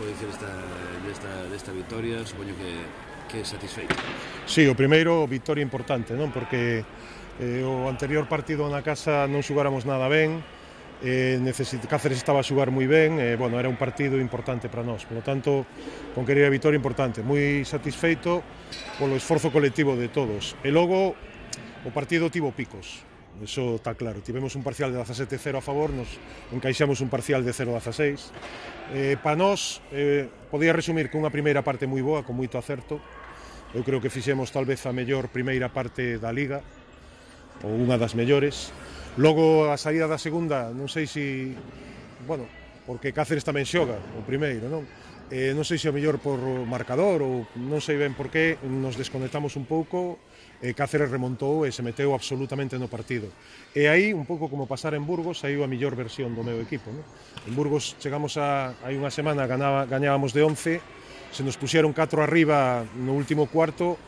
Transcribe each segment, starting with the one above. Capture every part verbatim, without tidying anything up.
pode dicir esta, desta, desta victoria? Supoño que, que é satisfeito. Sí, o primeiro, victoria importante, non? Porque eh, o anterior partido na casa non xugáramos nada ben, eh, Cáceres estaba a xugar moi ben, e, eh, bueno, era un partido importante para nós, por lo tanto, con querida victoria importante, moi satisfeito polo esforzo colectivo de todos. E logo, o partido tivo picos, eso está claro, tivemos un parcial de dezasete cero a favor, nos encaixamos un parcial de cero dezaseis. Eh, para nós, eh, podía resumir que unha primeira parte moi boa, con moito acerto. Eu creo que fixemos tal vez a mellor primeira parte da Liga, ou unha das mellores. Logo, a saída da segunda, non sei se, bueno, porque Cáceres tamén xoga o primeiro, non? Eh, non sei se o mellor por marcador ou non sei ben por que nos desconectamos un pouco, e Cáceres remontou e se meteu absolutamente no partido. E aí, un pouco como pasar en Burgos, saiu a mellor versión do meu equipo, non? En Burgos chegamos a, hai unha semana, ganaba, gañábamos de once, se nos puxeron catro arriba no último cuarto,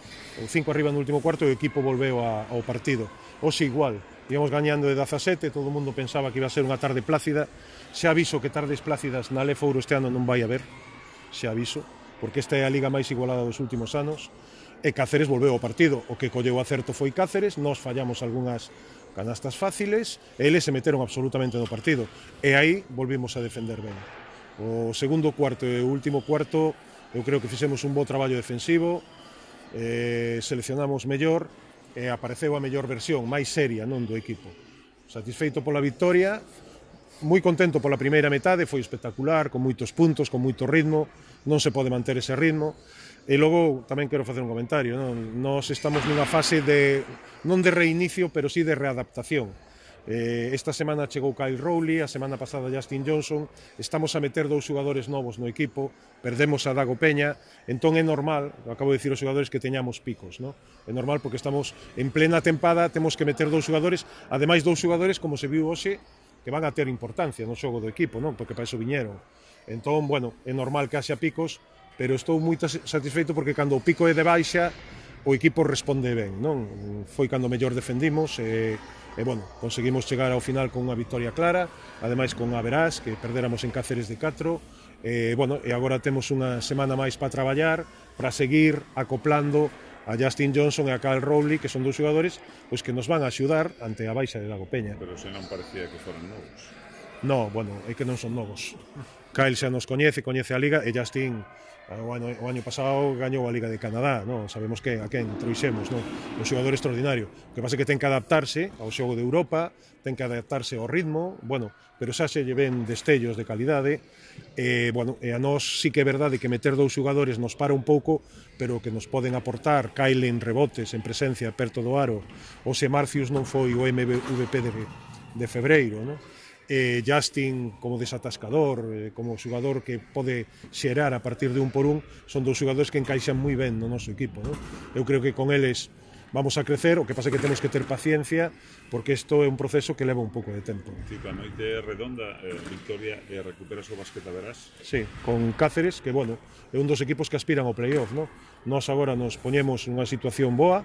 ou cinco arriba no último cuarto, e o equipo volveu a, ao partido. Oxe igual, íamos gañando de dezasete, todo o mundo pensaba que iba a ser unha tarde plácida. Xa aviso que tardes plácidas na Lefouro este ano non vai haber, xa aviso, porque esta é a liga máis igualada dos últimos anos, e Cáceres volveu ao partido. O que colleu acerto foi Cáceres, nós fallamos algunhas canastas fáciles, e eles se meteron absolutamente no partido, e aí volvimos a defender ben. O segundo cuarto e o último cuarto, eu creo que fixemos un bo traballo defensivo, eh, seleccionamos mellor, e apareceu a mellor versión, máis seria, non do equipo. Satisfeito pola victoria, moi contento pola primeira metade, foi espectacular, con moitos puntos, con moito ritmo, non se pode manter ese ritmo. E logo tamén quero facer un comentario, non? Nós estamos nunha fase de, non de reinicio, pero sí de readaptación. Eh, esta semana chegou Kyle Rowley, a semana pasada Justin Johnson, estamos a meter dous xogadores novos no equipo, perdemos a Dago Peña, entón é normal, acabo de dicir aos xogadores, que teñamos picos, non? É normal porque estamos en plena tempada, temos que meter dous xogadores, ademais dous xogadores, como se viu hoxe, que van a ter importancia no xogo do equipo, non? Porque para iso viñeron. Entón, bueno, é normal que haxa picos, pero estou moi satisfeito porque cando o pico é de baixa, o equipo responde ben, non? Foi cando mellor defendimos e, e bueno, conseguimos chegar ao final con unha victoria clara, ademais con a Verás, que perdéramos en Cáceres de catro, e, bueno, e agora temos unha semana máis para traballar, para seguir acoplando a Justin Johnson e a Kyle Rowley, que son dous xogadores pois que nos van a axudar ante a baixa de Dago Peña. Pero se non parecía que foran novos. No, bueno, é que non son novos. Kyle xa nos coñece, coñece a Liga, e Justin o ano, o año pasado gañou a Liga de Canadá, non? Sabemos que a quen trouxemos, non? Un xogador extraordinario. O que pasa é que ten que adaptarse ao xogo de Europa, ten que adaptarse ao ritmo, bueno, pero xa se lle ven destellos de calidade, e, bueno, e a nós sí que é verdade que meter dous xogadores nos para un pouco, pero que nos poden aportar Kyle en rebotes, en presencia perto do aro, ou se Marcius non foi o M V P de, de febreiro, non? Eh, Justin como desatascador, eh, como xogador que pode xerar a partir de un por un, son dous xogadores que encaixan moi ben no noso equipo, non? Eu creo que con eles vamos a crecer, o que pasa é que temos que ter paciencia, porque isto é un proceso que leva un pouco de tempo. Sí, a noite redonda, eh, victoria e recuperas o básquet a Verás. Sí, con Cáceres, que, bueno, é un dos equipos que aspiran ao playoff, non? Nós agora nos poñemos nunha situación boa,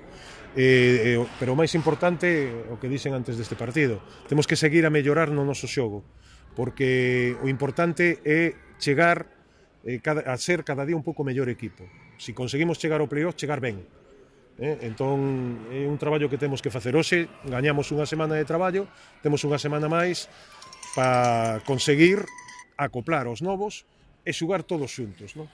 eh, eh, pero o máis importante, o que dixen antes deste partido, temos que seguir a mellorar no noso xogo, porque o importante é chegar eh, cada, a ser cada día un pouco mellor equipo. Se si conseguimos chegar ao playoff, chegar ben. Eh, entón, é un traballo que temos que facer hoxe, gañamos unha semana de traballo, temos unha semana máis para conseguir acoplar os novos e xugar todos xuntos, non?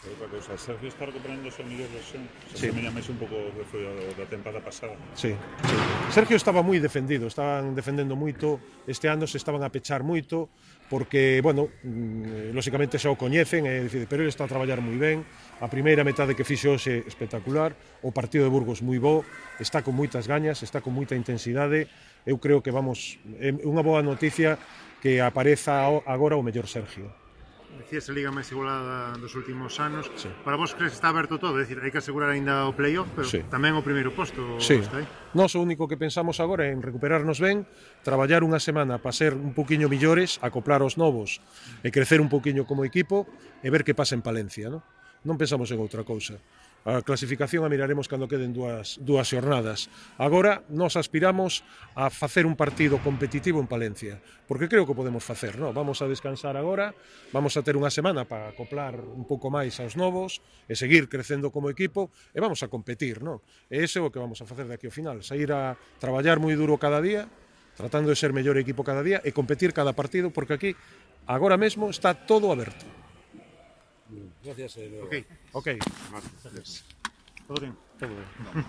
Outra cousa, Sergio está recuperando a súa mellor versión, se sí. semella máis un pouco que foi da tempada pasada. Sí, sí. Sergio estaba moi defendido, estaban defendendo moito, este ano se estaban a pechar moito, porque, bueno, lóxicamente xa o coñecen, é dicir, pero ele está a traballar moi ben, a primeira metade que fixe hoxe espectacular, o partido de Burgos moi bo, está con moitas gañas, está con moita intensidade, eu creo que vamos, é unha boa noticia que apareza agora o mellor Sergio. Decías a liga máis igualada dos últimos anos, sí. Para vos crees que está aberto todo, é dicir, hai que asegurar ainda o playoff, pero sí. Tamén o primeiro posto sí. Está aí. Nós o único que pensamos agora é en recuperarnos ben, traballar unha semana para ser un poquinho millores, acoplar os novos e crecer un poquinho como equipo e ver que pasa en Palencia, non? Non pensamos en outra cousa. A clasificación a miraremos cando queden dúas, dúas xornadas. Agora, nós aspiramos a facer un partido competitivo en Palencia, porque creo que podemos facer, non? Vamos a descansar agora, vamos a ter unha semana para acoplar un pouco máis aos novos, e seguir crecendo como equipo, e vamos a competir, non? E ese é o que vamos a facer de aquí ao final, sair a traballar moi duro cada día, tratando de ser mellor equipo cada día, e competir cada partido, porque aquí, agora mesmo, está todo aberto. Gracias. Eh, Ok. Ok. Vale. Todo bien. Todo ben.